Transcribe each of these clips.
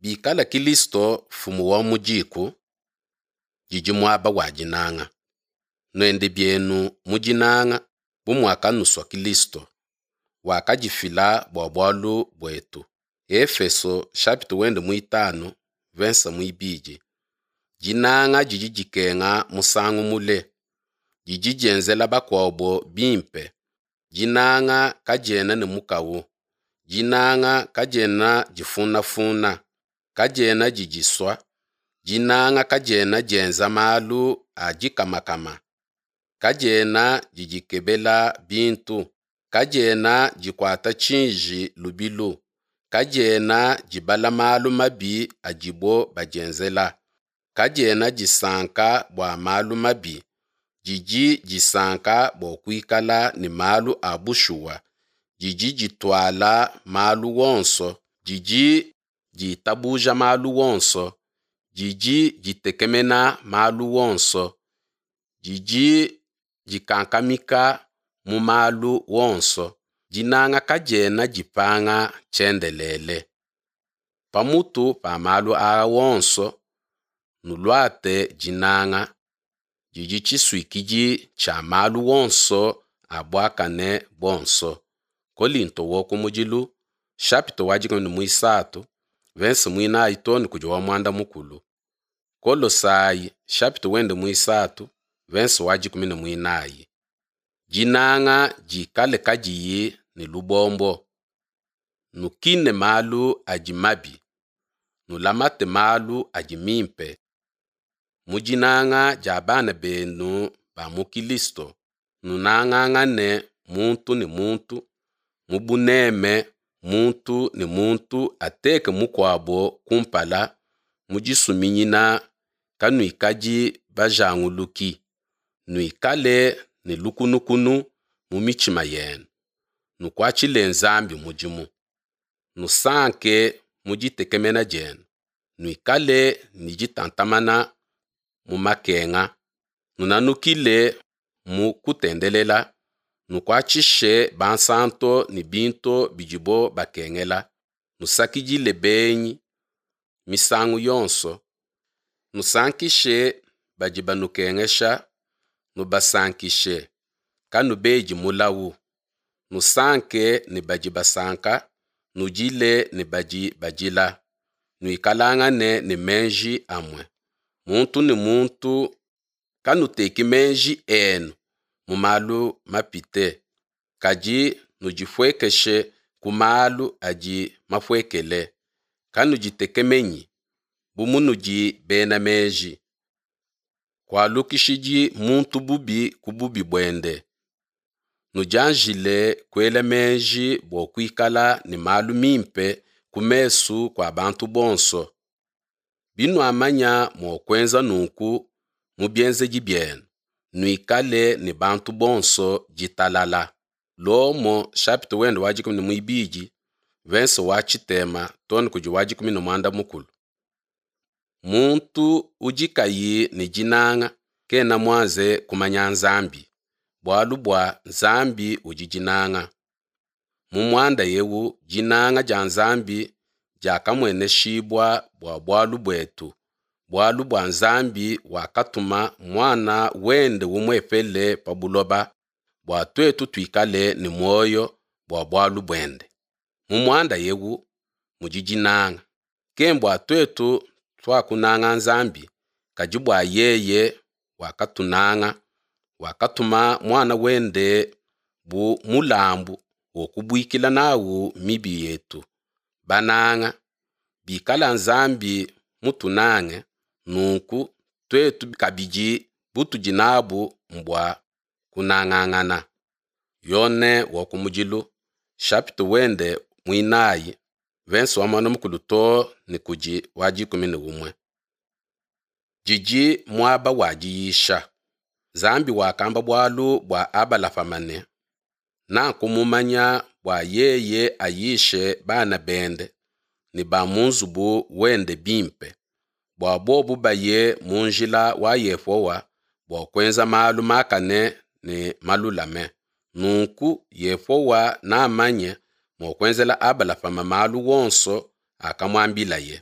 Bikala Kilisto nfumu wa mu diku, didi muaba wa dinanga. Nuende bienu mu dinanga bu muakanusua Kilisto, wakadifila bua bualu buetu. Efeso chapitre wende muitanu verse muibidi. Dinanga didi dikenga musangu mule, didi dienzela bakuabo bimpe. Dinanga kadiena ne mukawu, dinanga kadiena difunafuna, kadiena didisua, dinanga kadiena dienza malu a dikamakama, kadiena didikebela bintu, kadiena dikuata tshiji lubilu, kadiena dibala malu mabi adibo badienzela, kadiena disanka bua malu mabi, didi disanka bua kuikala ne malu a bushuwa, didi dituala malu onso, didi ditabuja malu onso, didi ditekemena malu onso, didi dikankamika mu malu onso. Dinanga kadiena dipanga tshiendelele. Pamutu pa malu aa onso, nuluate dinanga, didi tshisuikidi tshia malu onso a buakane buonso. Kolinto wa kumudilu chapitre wa dikumi ne muisatu verse muinayi too ne kudi wa muanda mukulu. Kolosai chapitre wende muisatu verse wa dikumi ne muinayi. Dinanga dikale kadiyi ne lubombo. Nukine malu adi mabi, nulamate malu adi mimpe. Mu dinanga dia bana benu ba mu Kilisto, nunangangane muntu ne muntu, mu buneme muntu ne muntu ateke mukuabo kumpala, mu disuminyina kanuikadi bajanguluki, nuikale ne lukunukunu mu mitshima yenu, nukuatshile Nzambi mudimu. Nusanke mu ditekemena dienu, nuikale ne ditantamana mu makenga, nunanukile mu kutendelela, nukuatshishe bansanto ne bintu bidibo bakengela, nusakidile benyi misangu yonso, nusankishe badi banukengesha, nubasankishe, kanubedi mulawu. Nusanke ne badi basanka, nudile ne badi badila. Nuikalangane ne meji amue, muntu ne muntu kanuteki meji enu mu malu mapite, kadi nudipuekeshe ku malu adi mapuekele. Kanuditekemenyi bu munudi bena meji. Kualukishidi muntu bubi ku bubi buende. Nudianjile kuela meji bua kuikala ne malu mimpe ku mesu kua bantu bonso. Binuamanya mua kuenza nunku mu bienzedi bienu, nuikale ne bantu bonso ditalala. Lomo chapitre wende wa dikumi ne muibidi verse wa tshitema too ne kudi wa dikumi ne muanda mukulu. Muntu udi kayi ne dinanga kena muanze kumanya Nzambi, bualu bua Nzambi udi dinanga. Mu muanda eu dinanga dia Nzambi diakamueneshibua bua bualu buetu, bualu bua Nzambi wakatuma Muana wende umuepele pa buloba bua tuetu tuikale ne muoyo bua bualu buende. Mu muanda eu mudi dinanga, kembua tuetu tuakunanga Nzambi, kadi bua yeye wakatunanga, wakatuma Muana wende bu mulambu wa kubuikila nawu mibi yetu. Bananga, bikala Nzambi mutunange, nunku tuetu kabidi butudi nabu mbua kunangangana. Yone wa kumudilu chapitre wende muinayi verse wa muanda mukulu too ne kudi wa dikumi ne umue. Didi muaba wa diyisha. Nzambi wakamba bualu bua Abalahama ne, Nakumumanya bua yeye ayishe bana bende ne ba mu nzubu wende bimpe, bua bobu baye mu njila wa Yehowa bua kuenza malu makane ne malulame. Nunku Yehowa namanye mua kuenzela Abalahama malu onso akamuambilaye.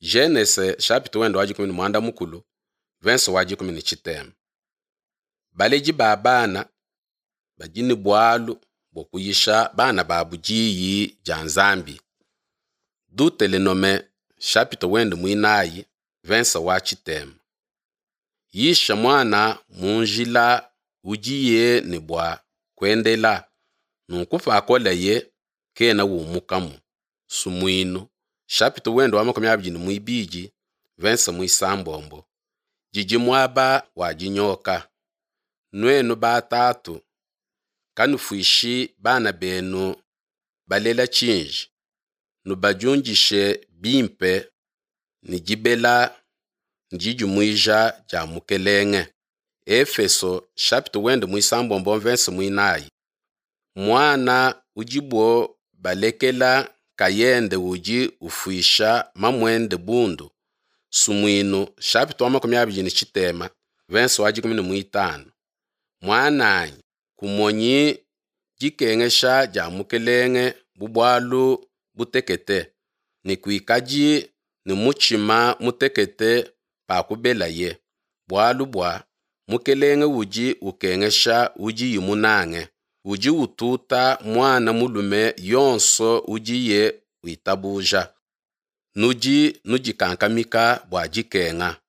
Genese chapitre wende wa dikumi ne muanda mukulu, verse wa dikumi ne tshitema. Baledi ba bana badi ne bualu bua kuyisha bana babu diyi dia Nzambi. Dutelenome chapitre wende muinayi, verse wa tshitema. Yisha muana mu njila udiye ne bua kuendela, nunku pakoleye kena umukamu. Sumuinu chapitre wende wa makumi abidi ne muibidi, verse muisambombo. Didi muaba wa dinyoka. Nuenu batatu, kanufuishi bana benu balela tshinji, nubadiundishe bimpe ne dibela ne didimuija dia Mukelenge. Efeso chapitre wende muisambombo verse muinayi. Muana udibo balekela nkayende udi ufuisha mamuende bundu. Sumuinu chapitre wa makumi abidi ne tshitema, verse wa dikumi ne muitanu. Muananyi, kumonyi dikengesha dia Mukelenge bu bualu butekete, ne kuikadi ne mutshima mutekete pakubelaye, bualu bua Mukelenge udi ukengesha udiye munange, udi ututa muana mulume yonso udiye witabuja. Nudi nudikankamika bua dikenga.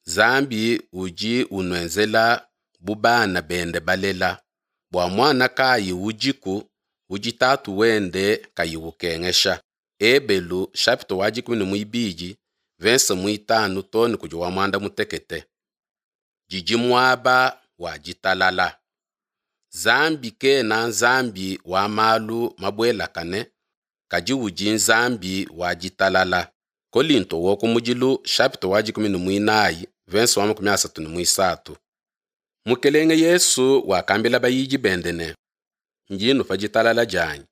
Nzambi udi unuenzela bu bana bende balela. Bua muana kayi udiku udi tatu wende kayi ukengesha. Ebelu chapitre wa dikumi ne muibidi, verse muitanu too ne kudi wa muanda mutekete. Didi muaba wa ditalala. Nzambi kena Nzambi wa malu mabuelakane, kadi udi Nzambi wa ditalala. Kolinto wa kumudilu chapitre wa dikumi ne muinayi, verse wa makumi asatu ne muisatu. Mukelenge Yesu wakambila bayidi bende ne, Ndi nnupa ditalala dianyi.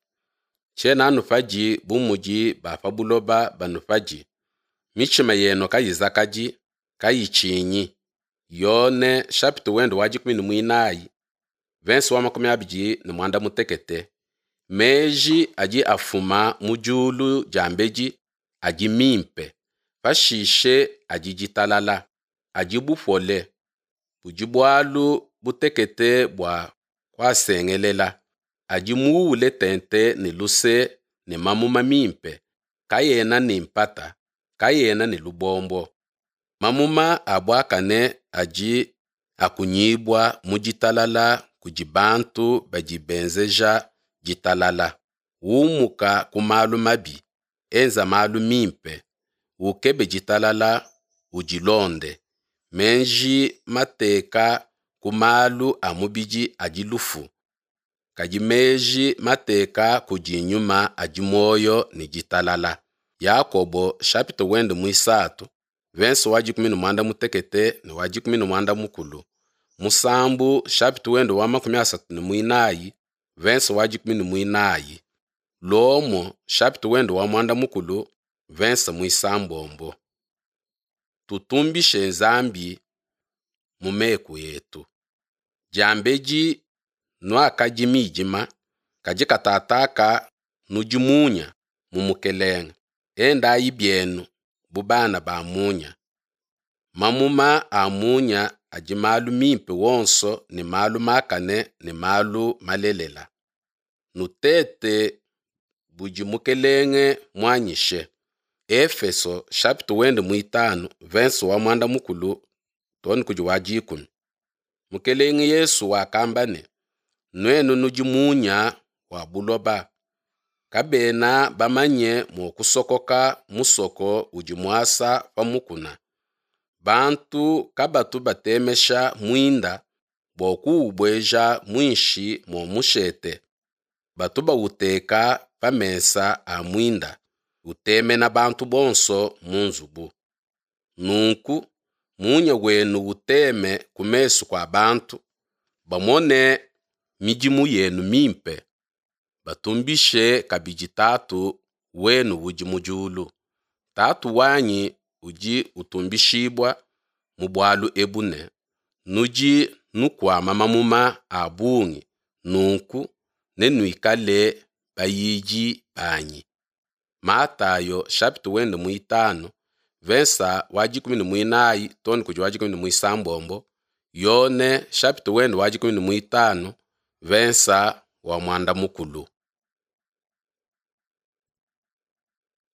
Tshiena nnupadi bu mudi ba pa buloba banupadi. Mitshima yenu kayizakadi, kayitshinyi. Yone chapitre wende wa dikumi ne muinayi, verse wa makumi abidi ne muanda mutekete. Meji adi afuma mu diulu diambedi adi mimpe, pashishe adi ditalala, adi bupole, budi bualu butekete bua kuasengelela, adi muule tente ne luse ne mamuma mimpe, kaena ne mpata, kaena ne lubombo. Mamuma a buakane adi akunyibua mu ditalala kudi bantu badi benzeja ditalala. Umuka ku malu mabi, enza malu mimpe, ukebe ditalala, udilonde. Meji mateka ku malu a mubidi adi lufu, kadi meji mateka kudi nyuma adi muoyo ne ditalala. Yakobo chapitre wende muisatu, verse wa dikumi ne muanda mutekete ne wa dikumi ne muanda mukulu. Musambu chapitre wende wa makumi asatu ne muinayi, verse wa dikumi ne muinayi. Lomo chapitre wende wa muanda mukulu, verse muisambombo. Tutumbishe Nzambi mu meku etu. Diambedi nuakadi midima, kadi katataka nudi munya mu Mukelenge. Endayi bienu bu bana ba munya. Mamuma a munya adi malu mimpe wonso ne malu makane ne malu malelela. Nutete budi Mukelenge muanyishe. Efeso chapitre wende muitanu, verse wa muanda mukulu too ne kudi wa dikumi. Mukelenge Yesu wakamba ne, Nuenu nudi munya wa buloba. Kabena bamanye mua kusokoka musoko udi muasa pa mukuna. Bantu kabatu batemesha muinda bua kuubueja muinshi mua mushete. Batu bauteka pa mesa a muinda, utemena bantu bonso mu nzubu. Nunku munya wenu uteme ku mesu kua bantu, bamone midimu yenu mimpe, batumbishe kabidi Tatu wenu udi mu diulu. Tatu wanyi udi utumbishibua mu bualu ebu ne, nudi nukuama mamuma a bungi, nunku nenuikale bayidi banyi. Matayo chapitre wende muitanu, Vensa wa 14 too ne kudi wa 16, Yone chapitre wende wa 15 vensa wa muanda mukulu.